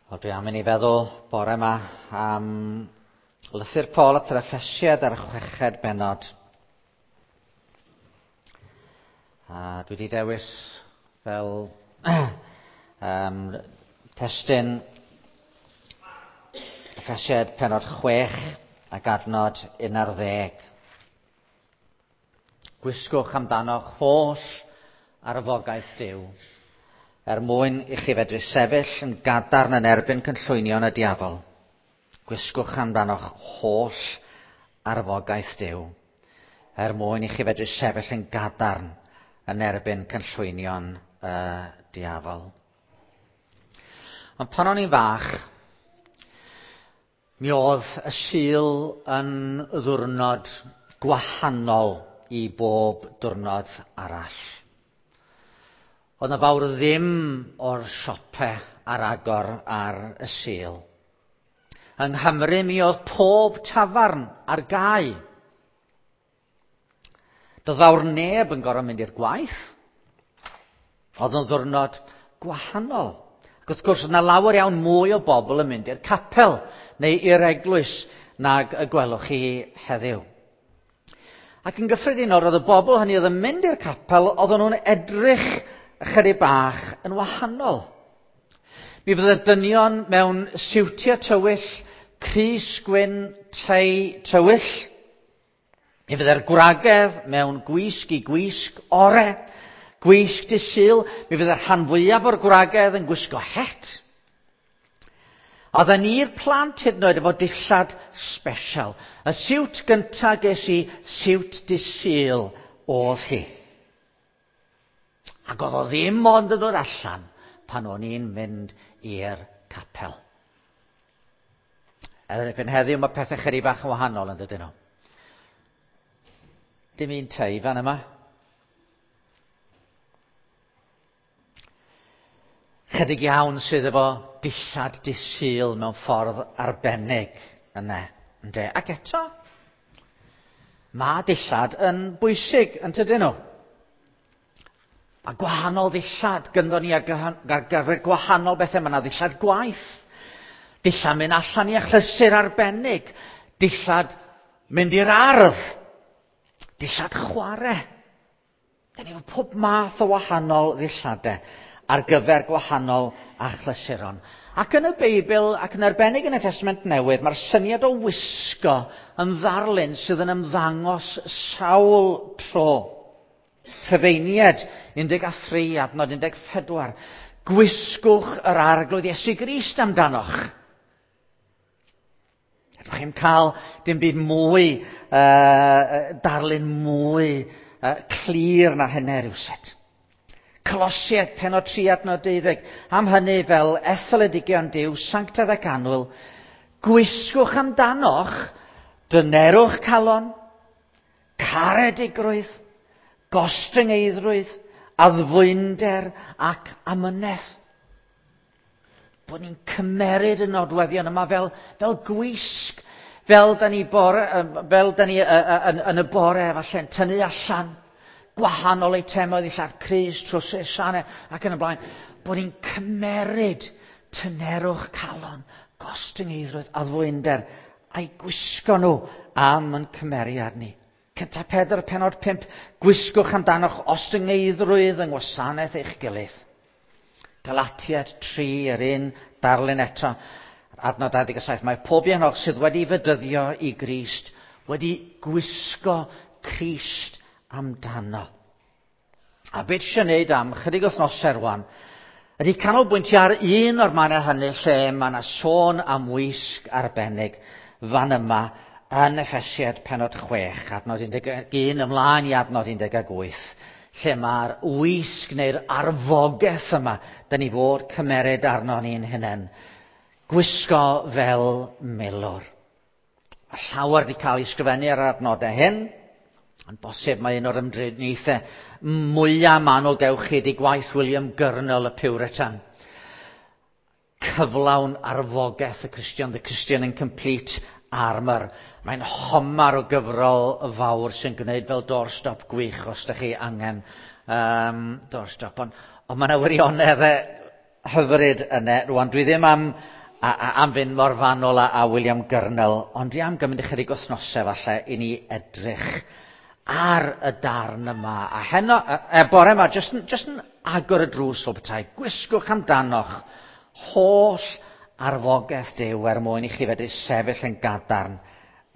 Wel, dwi am i ni feddwl bore yma am lythyr Paul at yr Effesiad ar y chweched bennod. A dwi wedi dewis fel testun Effesiad pennod 6 ac adnod 11. Gwisgwch amdanoch holl arfogaeth Duw, er mwyn i chi fedru sefyll yn gadarn yn erbyn cynllwynion y diafol. Gwisgwch amdanoch holl arfogaeth Duw, er mwyn i chi fedru sefyll yn gadarn yn erbyn cynllwynion y diafol. Ond pan o'n i'n fach, mi oedd y Sul yn ddiwrnod gwahanol i bob diwrnod arall. Oedd 'na fawr ddim o'r siope ar agor ar y Sul. Yng Nghymru mi oedd pob tafarn ar gau. Doedd fawr neb yn gorfod mynd i'r gwaith. Oedd yn ddiwrnod gwahanol. Ac wrth gwrs, oedd 'na lawer iawn mwy o bobl yn mynd i'r capel neu i'r eglwys nag y gwelwch chi heddiw. Ac yn gyffredinol, roedd y bobl hynny oedd yn mynd i'r capel, oedden nhw'n edrych ychydig bach yn wahanol. Mi fydde'r dynion mewn siwtiau tywyll, crys gwyn, tei tywyll. Mi fydde'r gwragedd mewn gwisg i gwisg ore, gwisg dydd Sul. Mi fydde'r rhan fwyaf o'r gwragedd yn gwisgo het. Oedden ni'r plant hyd yn oed efo dillad special. Y siwt gynta ges i, siwt dydd Sul oedd hi. Ac oedd o ddim ond yn dod allan pan o'n i'n mynd i'r capel. Erbyn heddiw mae pethau chydig bach yn wahanol yn dydyn nhw. Dim un tei fan yma. Chydig iawn sydd efo dillad dydd Sul mewn ffordd arbennig yna, ynde? Ac eto, mae dillad yn bwysig, yn tydyn nhw? Mae gwahanol ddillad gynddo ni ar gyfer gwahanol bethau. Mae yna ddillad gwaith, dillad mynd allan i achlysur arbennig, dillad mynd i'r ardd, dillad chwarae. Da ni efo pob math o wahanol ddilladau ar gyfer gwahanol achlysuron. Ac yn y Beibl, ac yn arbennig yn y Testament Newydd, mae'r syniad o wisgo yn ddarlun sydd yn ymddangos sawl tro. Rhufeiniaid 13, adnod 14. Gwisgwch yr Arglwydd Iesu Grist amdanoch. Ydych chi'n cael dim byd mwy, darlun mwy clir na hynny rhywsut. Colosiaid, pennod 3 adnod 12. Am hynny fel etholedigion Duw, sanctaidd ac annwyl, gwisgwch amdanoch dynerwch calon, caredigrwydd, gostyngeiddrwydd, addfwynder ac amynedd. Bod ni'n cymeryd y nodweddion yma fel, fel gwisg, fel da ni, bore, fel da ni yn, yn y bore falle'n tynnu allan gwahanol eitemau, ddillad crys, trwsus, sianau ac yn y blaen. Bod ni'n cymeryd tynerwch calon, gostyngeiddrwydd, addfwynder, a'i gwisgo nhw am yn cymeriad ni. Cynta Pedr, pennod 5, gwisgwch amdanoch ostyngeiddrwydd yng ngwasanaeth eich gilydd. Galatiaid 3, yr un darlun eto, adnod 27, mae pob un ohonoch sydd wedi fedyddio i Grist wedi gwisgo Crist amdano. A beth eisiau gwneud am chydig wythnosau rwan, ydy canolbwyntio ar un o'r mannau hynny lle mae yna sôn am wisg arbennig fan yma yn Effesiaid pennod 6, adnod 11 ymlaen i adnod 18, lle mae'r wisg neu'r arfogaeth yma, da ni fod cymeryd arno ni'n hunain, gwisgo fel milwr. A llawer wedi cael ei sgrifennu ar yr adnodau hyn, ond bosib mae un o'r ymdriniaethau mwyaf manwl gewch chi ydy gwaith William Gurnall y Puritan. Cyflawn arfogaeth y Cristion, The Christian in Complete Armour. Mae'n homar o gyfrol fawr sy'n gwneud fel doorstop gwych os ydych chi angen doorstop. Ond mae yna wirionedd hyfryd yna. Rwan, dwi ddim am, a, a, am fynd mor fanwl a, a William Gurnall, ond dwi am gymryd ychydig wythnosau falle i ni edrych ar y darn yma. A heno, e, e bore yma, jyst, jyst yn agor y drws o bethau, gwisgwch amdanoch holl arfogaeth Duw er mwyn i chi fedru sefyll yn gadarn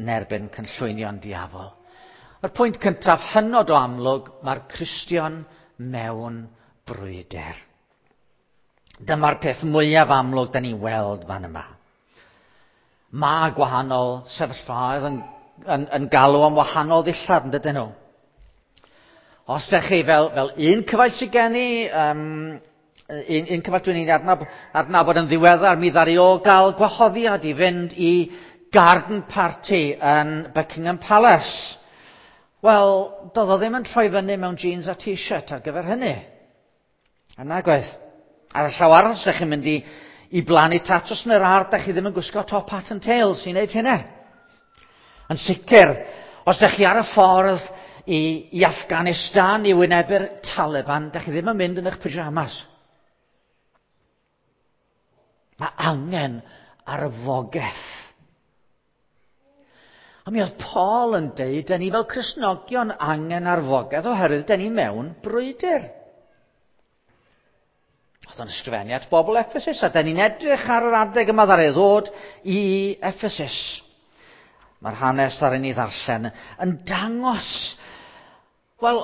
yn erbyn cynllwynion diafol. Yr pwynt cyntaf hynod o amlwg, mae'r Cristion mewn brwydr. Dyma'r peth mwyaf amlwg da ni'n weld fan yma. Mae gwahanol sefyllfaoedd yn, yn, yn galw am wahanol ddillad, yn dydyn nhw? Os ydych chi fel, fel un cyfaill sydd gen i, um, un, un cyfaill dwi'n ei adnab, adnabod yn ddiweddar, mi ddaru o gael gwahoddiad i fynd i garden party yn Buckingham Palace. Wel, doedd o ddim yn troi fyny mewn jeans a t-shirt ar gyfer hynny. A nag oedd. Ar y llaw arall, os ydych chi'n mynd i, i blannu tatws yn yr ardd, da chi ddim yn gwisgo top hat and tails i wneud hynna. Yn sicr, os ydych chi ar y ffordd i, i Afghanistan i wynebu'r Taliban, da chi ddim yn mynd yn eich pyjamas. Mae angen arfogaeth. A mi oedd Paul yn deud, da ni fel Cristnogion angen arfogaeth oherwydd da ni mewn brwydr. Oedd o'n ysgrifennu at bobl Ephesus, a da ni'n edrych ar yr adeg yma ddaru ddod i Ephesus. Mae'r hanes ar ni ddarllen yn dangos, wel,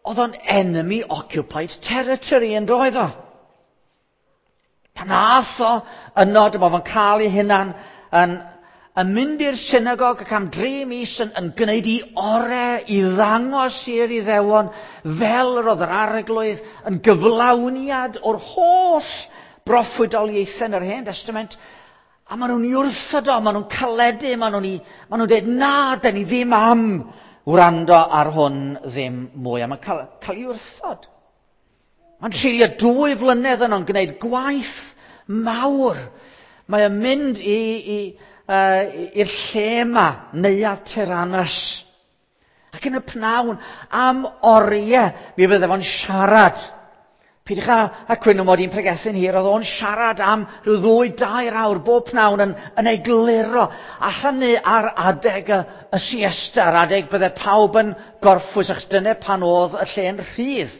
oedd o'n enemy occupied territory yn doedd o. Pan ath o yno, dyma fo'n cael ei hunan yn, yn mynd i'r synagog ac am dri mis yn, yn gwneud i ore i ddangos i'r Iddewon fel yr oedd yr arglwydd yn gyflawniad o'r holl broffwydoliaethau yn yr Hen Testament. A maen nhw'n i wrthod o, maen nhw'n caledu, maen nhw'n maen nhw'n dweud, na, da ni ddim am wrando ar hwn ddim mwy. A mae'n cael, cael ei wrthod. Mae'n treulio dwy flynedd yno'n gwneud gwaith mawr. Mae o'n mynd i, i, uh, i'r lle yma, Neuadd Tyrannus. Ac yn y pnawn, am oriau, mi fydde fo'n siarad. Peidiwch â, a cwyno mod i'n pregethu'n hir, oedd o'n siarad am rhyw ddwy, dair awr bob pnawn yn, yn egluro. A hynny ar adeg y, y siesta, ar adeg bydde pawb yn gorffwys, achos dyna pan oedd y lle'n rhydd.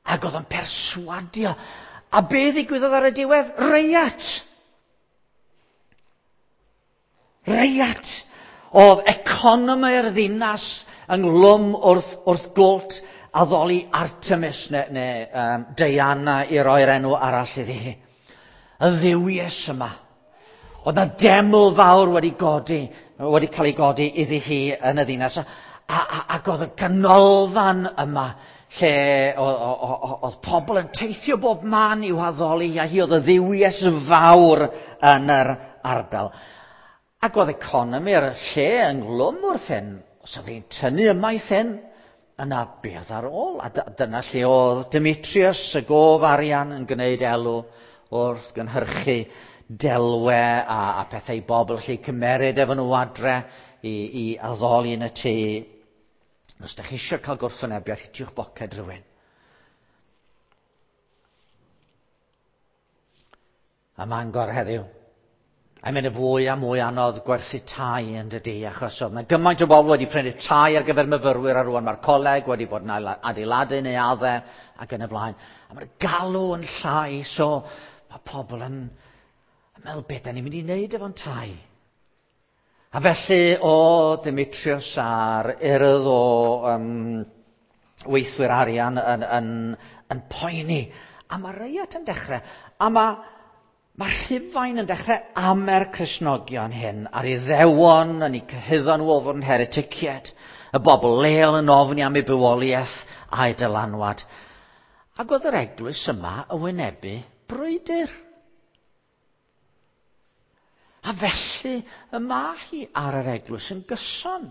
Ac oedd o'n perswadio. A be ddigwyddodd ar y diwedd? Reiat! Reiat! Oedd economi'r ddinas ynglwm wrth, wrth gwlt addoli Artemis neu, neu um, Diana i roi'r enw arall iddi hi. Y ddiwies yma. Oedd na deml fawr wedi godi, wedi cael ei godi iddi hi yn y ddinas. A, a, ac oedd y ganolfan yma lle oedd pobl yn teithio bob man i'w haddoli, a hi oedd y ddiwies fawr yn yr ardal. Ac oedd economi'r lle ynghlwm wrth hyn. Os oedd hi'n tynnu ymaith hyn, yna beth ar ôl? A dyna lle oedd Demetrius, y gof arian, yn gwneud elw wrth gynhyrchu delwe a, a pethau i bobl lle cymeryd efo nhw adre i, i addoli yn y tŷ. Os ydych chi eisiau cael gwrthwynebiad, hitiwch boced rhywun. A Mangor heddiw. A mae'n y fwy a mwy anodd gwerthu tai yn dydy, achos oedd yna gymaint o bobl wedi prynu tai ar gyfer myfyrwyr a rwan mae'r coleg wedi bod yn adeiladu neu adde ac yn y blaen. A mae'r galw yn llai, so mae pobl yn, yn meddwl beth da ni'n mynd i wneud efo'n tai. A felly o Demetrius a'r urdd o um, weithwyr arian yn, yn, yn poeni. A mae reiat yn dechrau. A mae, mae Rhufain yn dechrau amer Cristnogion hyn a'r Iddewon yn eu cyhuddo nhw o fod yn hereticiaid. Y bobl leol yn ofni am eu bywoliaeth a'u dylanwad. Ac oedd yr eglwys yma yn wynebu brwydr. A felly y mae hi ar yr eglwys yn gyson.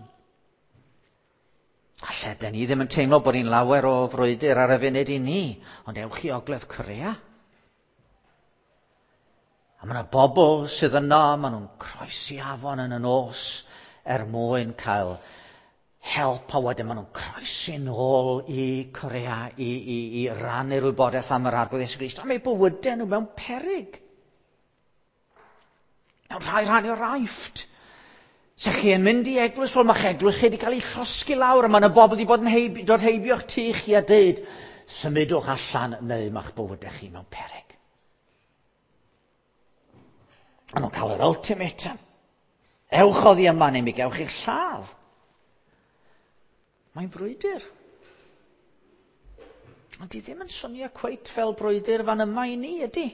Falle, dyn ni ddim yn teimlo bod ni'n lawer o frwydr ar y funud i ni, ond ewch i Ogledd Corea. A mae yna bobl sydd yno, maen nhw'n croesi afon yn y nos er mwyn cael help a wedyn maen nhw'n croesi nôl i Corea i, i, i rannu'r wybodaeth am yr Arglwydd Iesu Grist. A mae bywydau nhw mewn peryg. Mewn rhai rhan o'r Aifft. Se chi yn mynd i eglwys, wel mae'ch eglwys chi wedi cael ei llosgi lawr, a mae yna bobl wedi bod yn heib, dod heibio'ch tŷ chi a deud, symudwch allan neu mae'ch bywydau chi mewn peryg. A nhw'n cael yr ultimatum. Ewch oddi yma neu mi gewch chi'ch lladd. Mae'n frwydr. Ond di ddim yn swnio cweit fel brwydr fan yma i ni, ydy?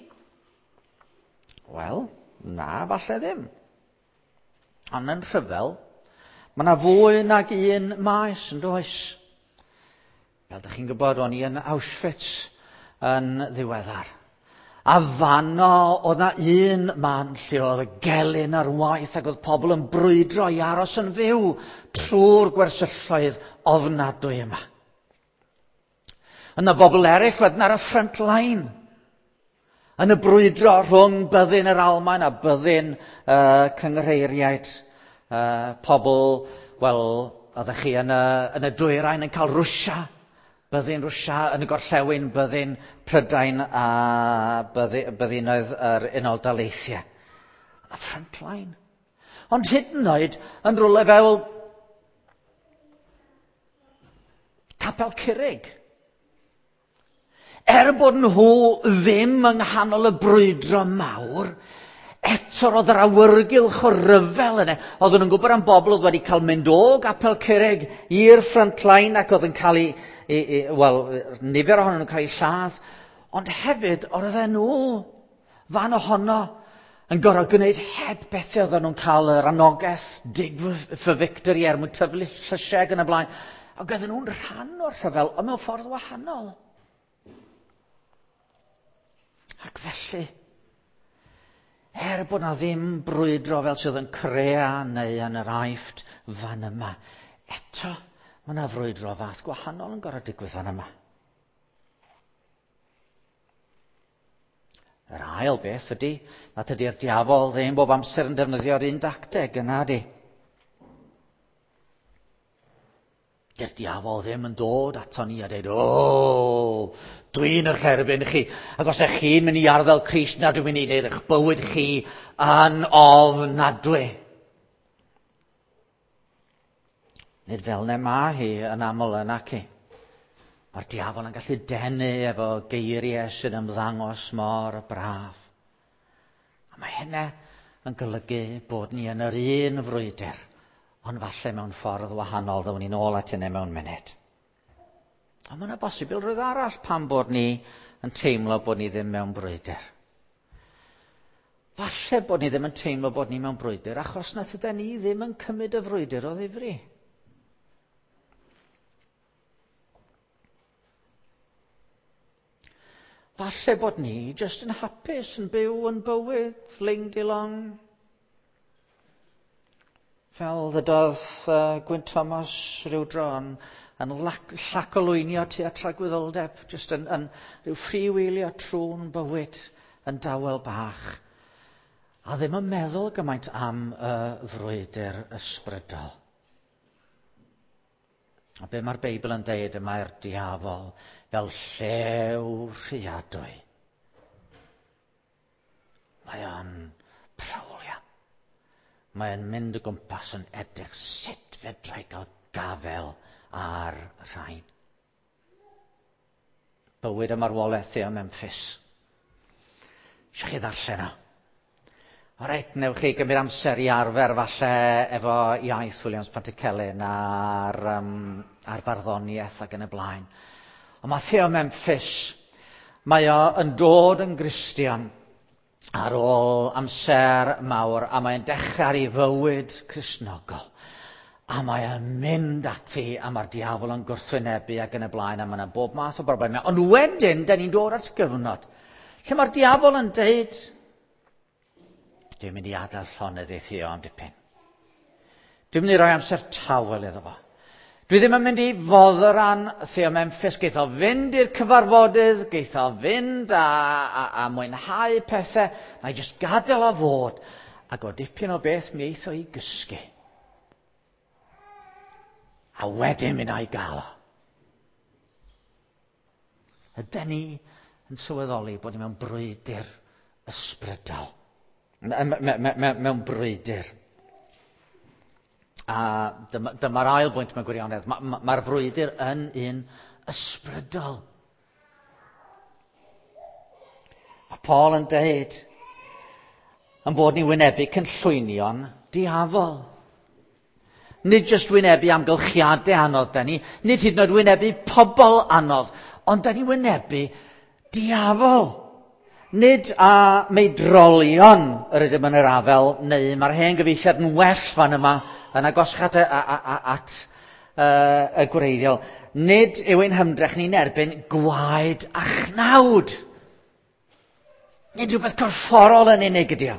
Wel, na, falle ddim. Ond yn rhyfel, mae yna fwy nag un maes yn does. Fel ydych chi'n gwybod, o'n i yn Auschwitz yn ddiweddar. A fanno oedd na un man lle oedd y gelyn ar waith ac oedd pobl yn brwydro i aros yn fyw trwy'r gwersylloedd ofnadwy yma. Yna bobl eraill wedyn ar y front line. Yn y brwydro rhwng byddin yr Almaen a byddin uh, cynghreiriaid. Uh, pobl, wel, oeddech chi yn y, yn y dwyrain yn cael Rwsia, byddin Rwsia, yn y gorllewin byddin Prydain a byddinoedd yr Unol Daleithiau. Y front line. Ond hyd yn oed yn rhywle fel Capel Curig. Er bod nhw ddim yng nghanol y brwydro mawr, eto roedd yr awyrgylch o ryfel yna. Oedden nhw'n gwybod am bobl oedd wedi cael mynd o Gapel Curig i'r front line ac oedd yn cael ei, ei, ei wel, nifer ohonyn nhw'n cael eu lladd. Ond hefyd, oedden nhw fan ohono yn gorfod gwneud heb bethau oedden nhw'n cael yr anogaeth, dig for victory er mwyn tyfu llysiau ac yn y blaen. Ac oedden nhw'n rhan o'r rhyfel, ond mewn ffordd wahanol. Ac felly, er bod na ddim brwydro fel sydd yn Corea neu yn yr Aifft fan yma, eto mae yna frwydro fath gwahanol yn gorfod digwydd fan yma. Yr ail beth ydy, na tydi'r diafol ddim bob amser yn defnyddio'r un dacteg yna di. Dy'r diafol ddim yn dod ato ni a dweud, o, dwi'n eich erbyn chi. Ac os ydych chi'n mynd i arddel Crist, na dwi'n mynd i wneud eich bywyd chi yn ofnadwy. Nid fel ne mae hi yn aml yn aci. Mae'r diafol yn gallu denu efo geiriau sy'n ymddangos mor braf. A mae hynna yn golygu bod ni yn yr un frwydr, ond falle mewn ffordd wahanol, ddown ni'n ôl at hynny mewn munud. Ond mae yna bosibilrwydd arall pam bod ni yn teimlo bod ni ddim mewn brwydr. Falle bod ni ddim yn teimlo bod ni mewn brwydr achos na tyda ni ddim yn cymryd y frwydr o ddifri. Falle bod ni jyst yn hapus yn byw yn bywyd ling di long. Fel ddydodd uh, Gwyn Thomas rhyw dro yn, yn llacolwynio tua tragwyddoldeb, jyst yn, yn rhyw freewheelio trwy'n bywyd yn dawel bach. A ddim yn meddwl gymaint am y frwydr ysbrydol. A be mae'r Beibl yn deud y mae'r diafol fel llew rhuadwy. Mae o'n prowlio. Mae o'n mynd o gwmpas yn edrych sut fedrai gael gafel ar rhain. Bywyd a marwolaeth Theo Memphis. Eisiau chi ddarllen o? O reit, newch chi gymryd amser i arfer falle efo iaith Williams Pantycelyn a'r, um, a'r barddoniaeth ac yn y blaen. Ond mae Theo Memphis, mae o yn dod yn Gristion ar ôl amser mawr a mae'n dechrau ar ei fywyd Cristnogol. A mae o'n mynd ati a mae'r diafol yn gwrthwynebu ac yn y blaen a mae yna bob math o broblemau. Ond wedyn, da ni'n dod at gyfnod lle mae'r diafol yn deud, dwi'n mynd i adael llonydd i Theo am dipyn. Dwi'n mynd i roi amser tawel iddo fo. Dwi ddim yn mynd i fodderan Theo Memphis. Geith o fynd i'r cyfarfodydd, geith o fynd a, a, a mwynhau pethau. Na i jyst gadael o fod. Ac o dipyn o beth mi eith o i gysgu. A wedyn mi wna i gael o. Ydy ni yn sylweddoli bod ni mewn brwydr ysbrydol? Mewn brwydr. A dyma'r dyma ail bwynt mewn gwirionedd. Mae'r ma, ma frwydr yn un ysbrydol. Mae Paul yn deud yn bod ni'n wynebu cynllwynion diafol. Nid jyst wynebu amgylchiadau anodd da ni, nid hyd yn oed wynebu pobl anodd, ond da ni wynebu diafol. Nid a meidrolion yr ydym yn yr afel, neu mae'r hen gyfeilliad yn well fan yma, yn agosach at, at y gwreiddiol. Nid yw ein hymdrech ni'n erbyn gwaed a chnawd. Nid rhywbeth corfforol yn unig ydy o.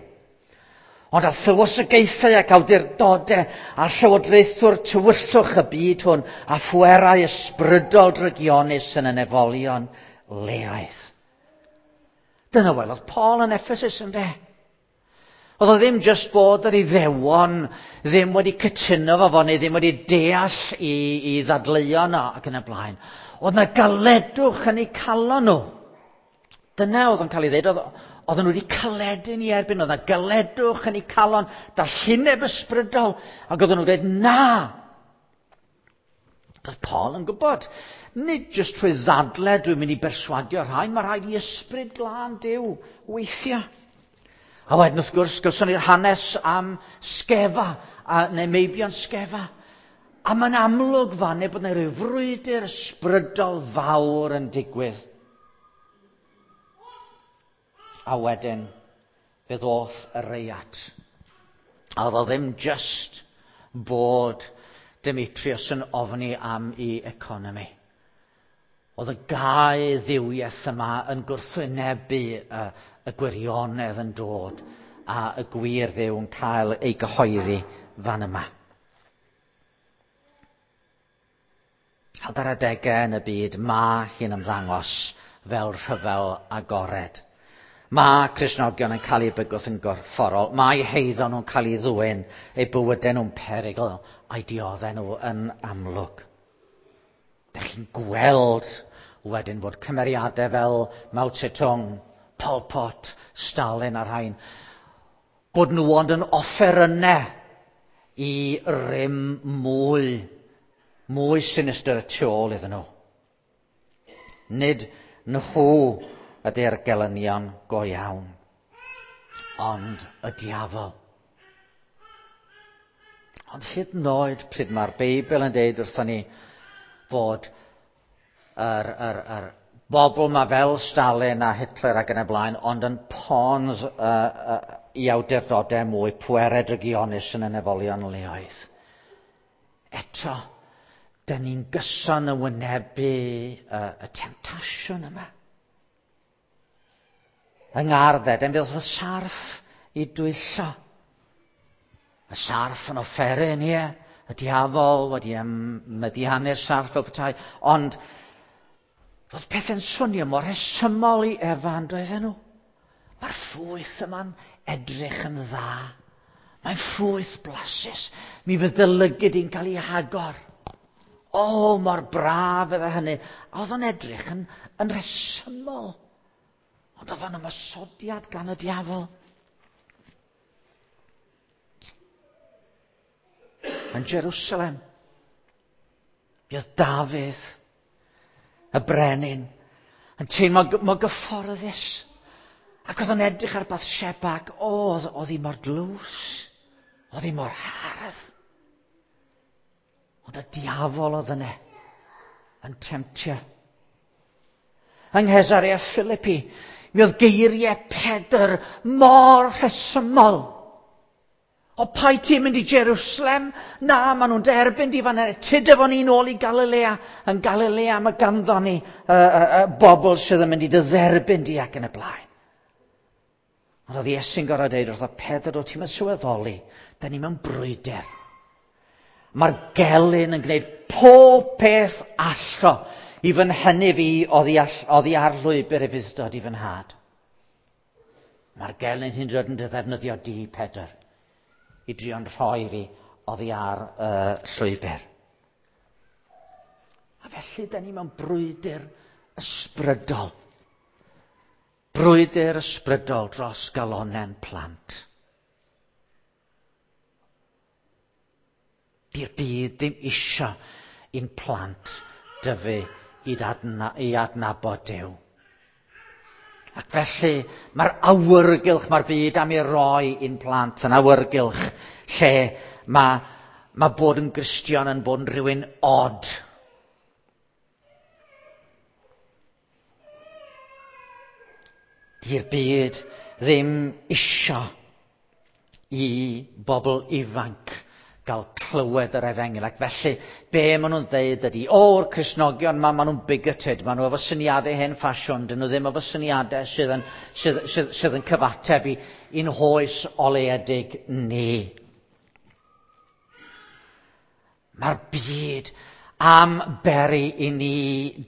Ond a thywysogaethau ac awdurdodau a llywodraethwr tywyllwch y byd hwn a phwerau ysbrydol drygionus yn y nefolion leaidd. Dyna welodd Paul yn Ephesus ynddo. Oedd o ddim jyst bod yr Iddewon ddim wedi cytuno fo fo neu ddim wedi deall i, i ddadleuon ac yn y blaen. Oedd na galedwch yn eu calon nhw. Dyna oedd yn cael ei ddeud, oedd, oedden nhw wedi caledu ni erbyn, oedd na galedwch yn eu calon, dallineb ysbrydol, ac oedden nhw'n dweud, na! Oedd Paul yn gwybod, nid jyst trwy ddadle dwi'n mynd i berswadio rhain, mae rhaid i ysbryd glân Duw weithio. A wedyn wrth gwrs, gawson ni'r hanes am Sgefa, a, neu meibion Sgefa. A mae'n amlwg fan bod yna rhyw frwydr ysbrydol fawr yn digwydd. A wedyn, fe ddoth y reiat. A oedd o ddim just bod Demetrius yn ofni am ei economi. Oedd y gau ddiwiaeth yma yn gwrthwynebu y, y gwirionedd yn dod a y gwir ddiw yn cael ei gyhoeddi fan yma. Ac ar adegau yn y byd, mae hi'n ymddangos fel rhyfel agored. Mae Cristnogion yn cael eu bygwth yn gorfforol. Mae heiddo nhw'n cael ei ddwyn, eu bywydau nhw'n perygl, a'i dioddau nhw yn amlwg. Dych chi'n gweld wedyn bod cymeriadau fel Mao Zedong, Pol Pot, Stalin a rhain, bod nhw ond yn offerynnau i rym mwy, mwy sinistr y tu ôl iddyn nhw. Nid nhw ydy'r gelynion go iawn, ond y diafol. Ond hyd yn oed pryd mae'r Beibl yn deud wrthon ni fod yr, yr, yr bobl ma fel Stalin a Hitler ac yn y blaen, ond yn pawns i awdurdodau mwy pwerau drygionus yn y nefolion leoedd. Eto, dyn ni'n gyson yn wynebu y temtasiwn yma. Yng Ngardd Eden, fe ddoth y sarff i dwyllo. Y sarff yn offeryn, ie. Y diafol wedi meddiannu'r sarff fel petai. Ond roedd pethau'n swnio mor rhesymol i Efa yn doedden nhw. Mae'r ffrwyth yma'n edrych yn dda. Mae'n ffrwyth blasus. Mi fydd dy lygid i'n cael ei hagor. O, mor braf fydde hynny. A oedd o'n edrych yn, yn rhesymol. Ond oedd o'n ymosodiad gan y diafol. Yn Jerusalem, mi oedd Dafydd, y brenin, yn teimlo mor gyfforddus. Ac oedd o'n edrych ar Bathsheba ac oedd, oedd hi mor glws, oedd hi mor hardd. Ond y diafol oedd yna yn temtio. Yng Nghesarea Philippi, mi oedd geiriau Pedr mor rhesymol. O pai ti'n mynd i Jerusalem? Na, maen nhw'n derbyn di fan hyn. Tyd efo ni nôl i Galilea. Yn Galilea mae ganddo ni bobl sydd yn mynd i dy dderbyn di ac yn y blaen. Ond oedd Iesu'n gorfod deud wrtho Pedr, o ti'n mynd sylweddoli, da ni mewn brwydr. Mae'r gelyn yn gwneud pob peth allo i fy nhynnu fi oddi, all, oddi ar lwybr ufudd-dod i fy nhad. Mae'r gelyn hyn dod yn dy ddefnyddio di, Pedr, i drio'n rhoi fi oddi ar y llwybr. A felly, da ni mewn brwydr ysbrydol. Brwydr ysbrydol dros galonen plant. Di'r byd ddim isio i'n plant dyfu i, adna, i adnabod Duw. Ac felly mae'r awyrgylch mae'r byd am ei roi i'n plant yn awyrgylch lle mae, mae bod yn Gristion yn bod yn rhywun od. Di'r byd ddim isio i bobl ifanc gael clywed yr efengyl. Ac felly, be maen nhw'n dweud ydy, o'r Cristnogion ma, maen nhw'n bigoted, maen nhw efo syniadau hen ffasiwn, dyn nhw ddim efo syniadau sydd yn, sydd, sydd, sydd yn cyfateb i, i'n hoes oleuedig ni. Mae'r byd am beri i ni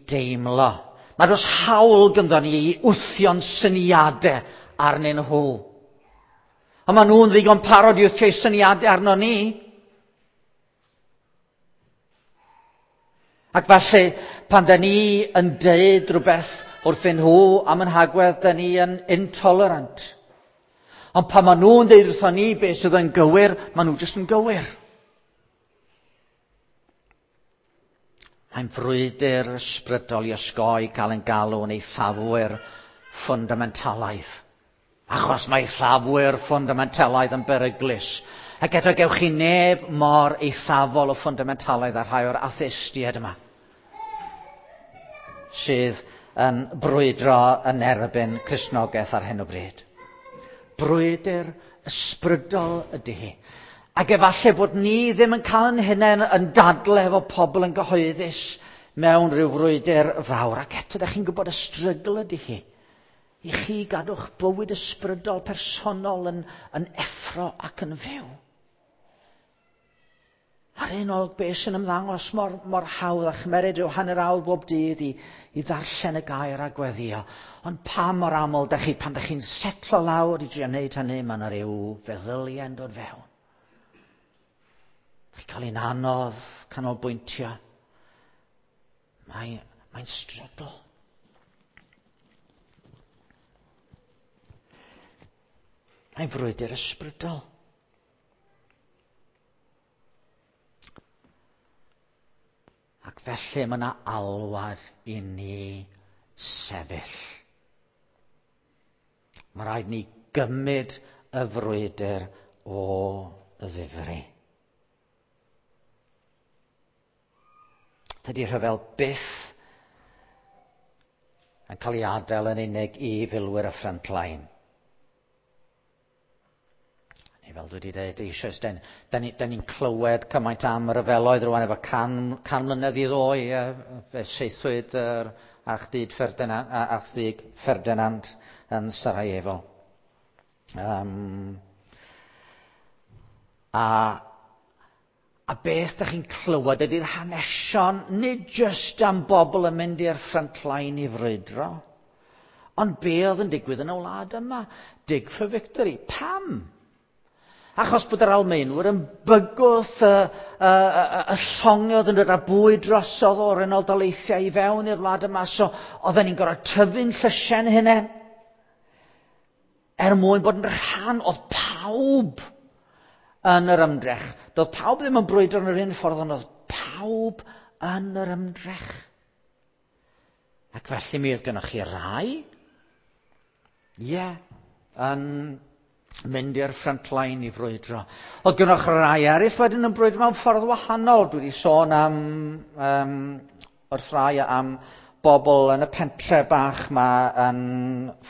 deimlo. Mae dros hawl gyda ni i wthio'n syniadau arnyn nhw. A maen nhw'n ddigon parod i wthio syniadau arno ni. Ac felly, pan da ni yn deud rhywbeth wrthyn nhw am yn hagwedd, da ni yn intolerant. Ond pan maen nhw'n deud wrthon ni beth sydd yn gywir, maen nhw jyst yn gywir. Mae'n frwydr ysbrydol i osgoi cael yn galw yn eithafwyr ffundamentalaidd. Achos mae eithafwyr ffundamentalaidd yn beryglus. Ac eto gewch chi neb mor eithafol o ffundamentalaidd a rhai o'r atheistiaid yma. Sydd yn brwydro yn erbyn Cristnogaeth ar hyn o bryd. Brwydr ysbrydol ydy hi. Ac efallai bod ni ddim yn cael yn hunain yn dadle efo pobl yn gyhoeddus mewn rhyw frwydr fawr. Ac eto, da chi'n gwybod y strygl ydy hi. I chi gadw'ch bywyd ysbrydol personol yn, yn effro ac yn fyw. Ar un olwg beth sy'n ymddangos mor, mor hawdd a chymeryd rhyw hanner awr bob dydd i, i ddarllen y gair a gweddio. Ond pa mor aml da chi, pan da chi'n setlo lawr i drio wneud hynny, mae yna rhyw feddyliau'n dod fewn. Chi'n cael un anodd canolbwyntio. Mae, mae'n strygl. Mae'n frwydr ysbrydol. Ac felly mae yna alwad i ni sefyll. Mae rhaid ni gymryd y frwydr o ddifri. Dydy rhyfel byth yn cael ei adael yn unig i filwyr y front line. Neu fel dwi wedi dweud eisoes, da ni'n ni, ni clywed cymaint am ryfeloedd rwan efo can, can mlynedd i ddoe, fe seithwyd yr archdug Ferdinand, archdug Ferdinand yn Sarajevo. Um, a, a beth da chi'n clywed ydy'r hanesion, nid jyst am bobl yn mynd i'r frontline i frwydro, ond be oedd yn digwydd yn y wlad yma? Dig for victory. Pam? Achos bod yr Almaenwyr yn bygwth y, y, y, y llongau oedd yn dod â bwyd drosodd o'r Unol Daleithiau i fewn i'r wlad yma. So oedden ni'n gorfod tyfu'n llysiau'n hunain. Er mwyn bod yn rhan, oedd pawb yn yr ymdrech. Doedd pawb ddim yn brwydro yn yr un ffordd, ond oedd pawb yn yr ymdrech. Ac felly mi oedd gennych chi rai, ie, yeah, yn mynd i'r front line i frwydro. Oedd gynnwch rai eraill wedyn yn brwydro mewn ffordd wahanol. Dwi wedi sôn am, um, wrth rai am bobl yn y pentre bach ma yn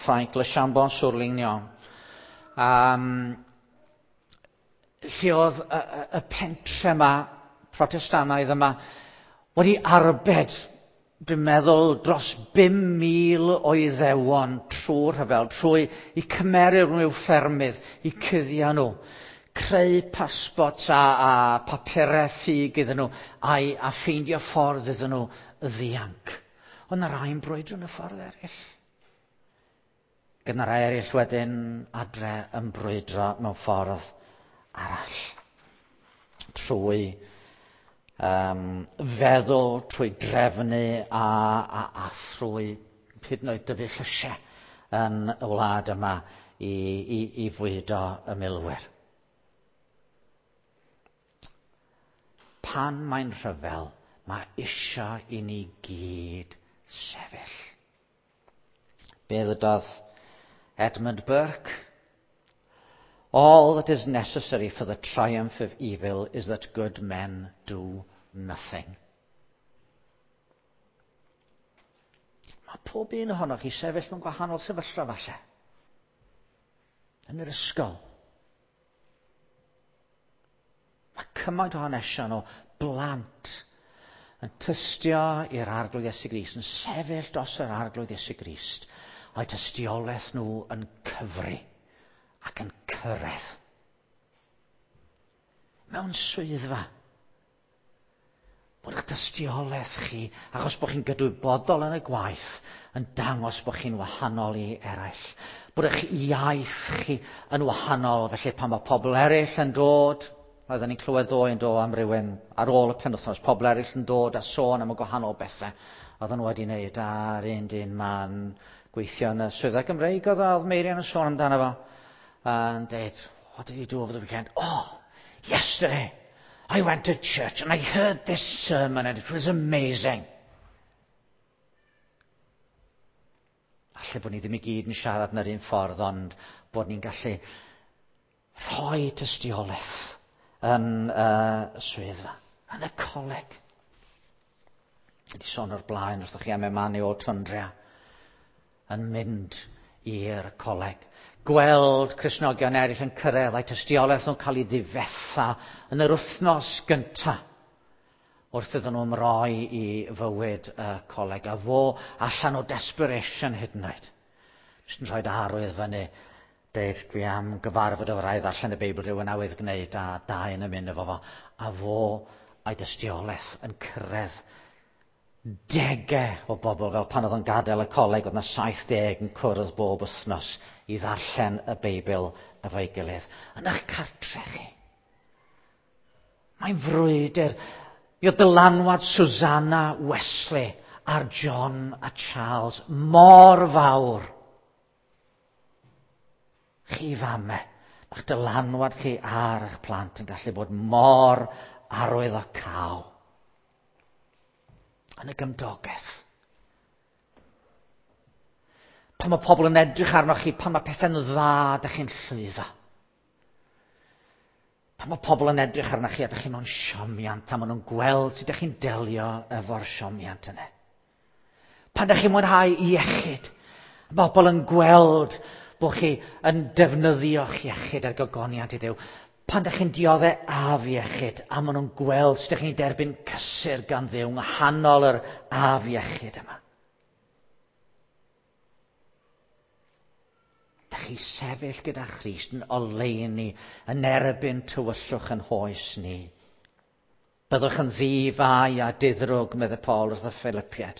Ffrainc, Le Chambon-sur-Lignon. Um, lle oedd y, y, y pentre yma, protestanaidd yma, wedi arbed dwi'n meddwl, dros 5,000 o Iddewon trwy'r rhyfel, trwy i cymeru nhw i'w ffermydd, i cuddio nhw, creu pasbort a, a papurau ffug iddyn nhw, a, a ffeindio ffordd iddyn nhw ddianc. Ond na rai'n brwydro yn y ffordd eraill. Gyda rai eraill wedyn adre yn brwydro mewn ffordd arall. Trwy feddwl, trwy drefnu a thrwy hyd yn oed dyfu llysiau yn y wlad yma i fwydo y milwyr. Pan mae'n rhyfel, mae eisiau i ni gyd sefyll. Be ddydodd Edmund Burke? All that is necessary for the triumph of evil is that good men do nothing. Mae pob un ohonoch chi sefyll mewn gwahanol sefyllfa falle. Yn yr ysgol. Mae cymaint o hanesion o blant yn tystio i'r Arglwydd Iesu Grist, yn sefyll dros yr Arglwydd Iesu Grist, a'i tystiolaeth nhw yn cyfri ac yn cyrraedd. Mewn swyddfa. Bod eich tystiolaeth chi, achos bod chi'n gydwybodol yn y gwaith, yn dangos bod chi'n wahanol i eraill. Bod eich iaith chi yn wahanol, felly pan mae pobl eraill yn dod, oedden ni'n clywed ddoe yn dod am rywun ar ôl y penwythnos, pobl eraill yn dod a sôn am y gwahanol bethau oedden nhw wedi wneud a'r un dyn ma'n gweithio yn y swyddfa Gymreig oedd Meirion yn sôn amdano fo. A'n dweud, what did you do over the weekend? Oh, yesterday I went to church and I heard this sermon and it was amazing. Alle bod ni ddim i gyd yn siarad yn yr un ffordd, ond bod ni'n gallu rhoi tystiolaeth yn y swyddfa, yn y coleg. Wedi sôn o'r blaen wrthych chi am Emmanuel Tundria yn mynd i'r coleg. Gweld Cristnogion eraill yn cyrraedd a'i tystiolaeth nhw'n cael ei ddifetha yn yr wythnos gyntaf wrth iddyn nhw ymroi i fywyd y coleg. A fo allan o desperation hyd yn oed. Jyst yn rhoi arwydd fyny. Deud, dwi am gyfarfod efo rai ddarllen y Beibl rhywun awydd gwneud a dau yn ymuno efo fo. A fo a'i dystiolaeth yn cyrraedd degau o bobl, fel pan oedd o'n gadael y coleg, oedd yna 70 yn cwrdd bob wythnos i ddarllen y Beibl efo'i gilydd. Yn eich cartre chi. Mae'n frwydr. Mi oedd dylanwad Susanna Wesley ar John a Charles mor fawr. Chi famau, mae'ch dylanwad chi ar eich plant yn gallu bod mor arwyddocaol. Yn y gymdogaeth. Pan mae pobl yn edrych arnoch chi, pan mae pethau'n dda, dych chi'n llwyddo. Pan mae pobl yn edrych arnoch chi a dych chi mewn siomiant, a maen nhw'n gweld sut dych chi'n delio efo'r siomiant yna. Pan dych chi'n mwynhau iechyd, mae pobl yn gweld bod chi yn defnyddio'ch iechyd ar gogoniant i Dduw. Pan dych chi'n dioddef afiechyd, a maen nhw'n gweld sut dych chi'n derbyn cysur gan Dduw yng nghanol yr afiechyd yma. Dych chi sefyll gyda Christ yn oleuni yn erbyn tywyllwch yn hoes ni. Byddwch yn ddifai a diddrwg, meddai Paul wrth y Philippiaid,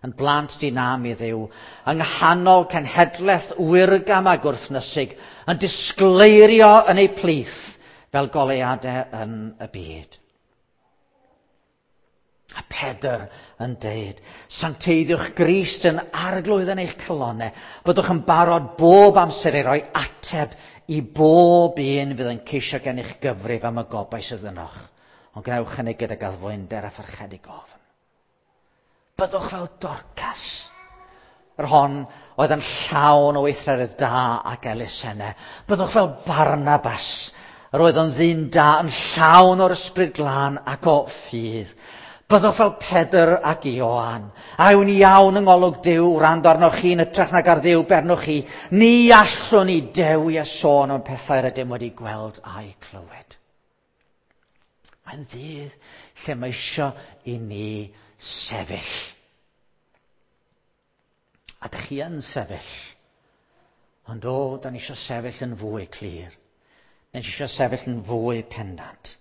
yn blant dinam i Dduw, yng nghanol cenhedlaeth wyrgam a gwrthnysig, yn disgleirio yn eu plith fel goleuadau yn y byd. A Pedr yn deud, sancteiddiwch Grist yn arglwydd yn eich calonnau, byddwch yn barod bob amser i roi ateb i bob un fydd yn ceisio gennych gyfrif am y gobaith sydd ynoch, ond gwnewch hynny gydag addfwynder a pharchedig ofn. Byddwch fel Dorcas, yr hon oedd yn llawn o weithredoedd da ac elusennau. Byddwch fel Barnabas, yr oedd yn ddyn da, yn llawn o'r ysbryd glân ac o ffydd. Byddwch fel Pedr ac Ioan, a yw'n iawn yng ngolwg Duw wrando arnoch chi yn hytrach nag ar Dduw bernwch chi. Ni allwn ni dewi a sôn am pethau rydym wedi gweld a'u clywed. Mae'n ddydd lle mae isio i ni sefyll. A dych chi yn sefyll. Ond o, da ni isio sefyll yn fwy clir. Da ni isio sefyll yn fwy pendant.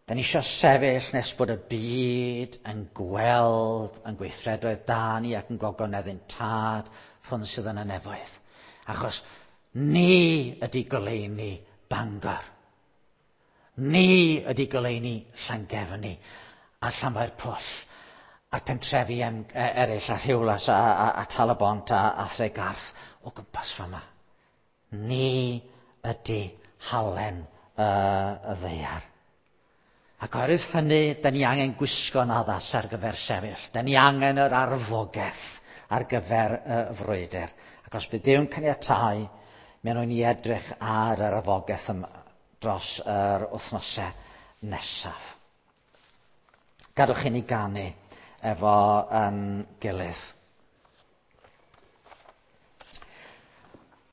Da ni isio sefyll nes bod y byd yn gweld yn gweithredoedd da ni ac yn gogoneddyn tad rhwng sydd yn y nefoedd. Achos ni ydy goleuni Bangor. Ni ydy goleuni Llangefni. a Llanfair Pwll a'r pentrefi em, e, eraill a Rhiwlas a, a, a Talabont a, a Thregarth o gwmpas fama. Ni ydy halen y, y ddaear. Ac oherwydd hynny, da ni angen gwisgo'n addas ar gyfer sefyll. Da ni angen yr arfogaeth ar gyfer y frwydr. Ac os bydd Duw'n caniatáu, mi wnawn ni edrych ar yr arfogaeth yma dros yr wythnosau nesaf. Gadwch i ni ganu efo yn gilydd.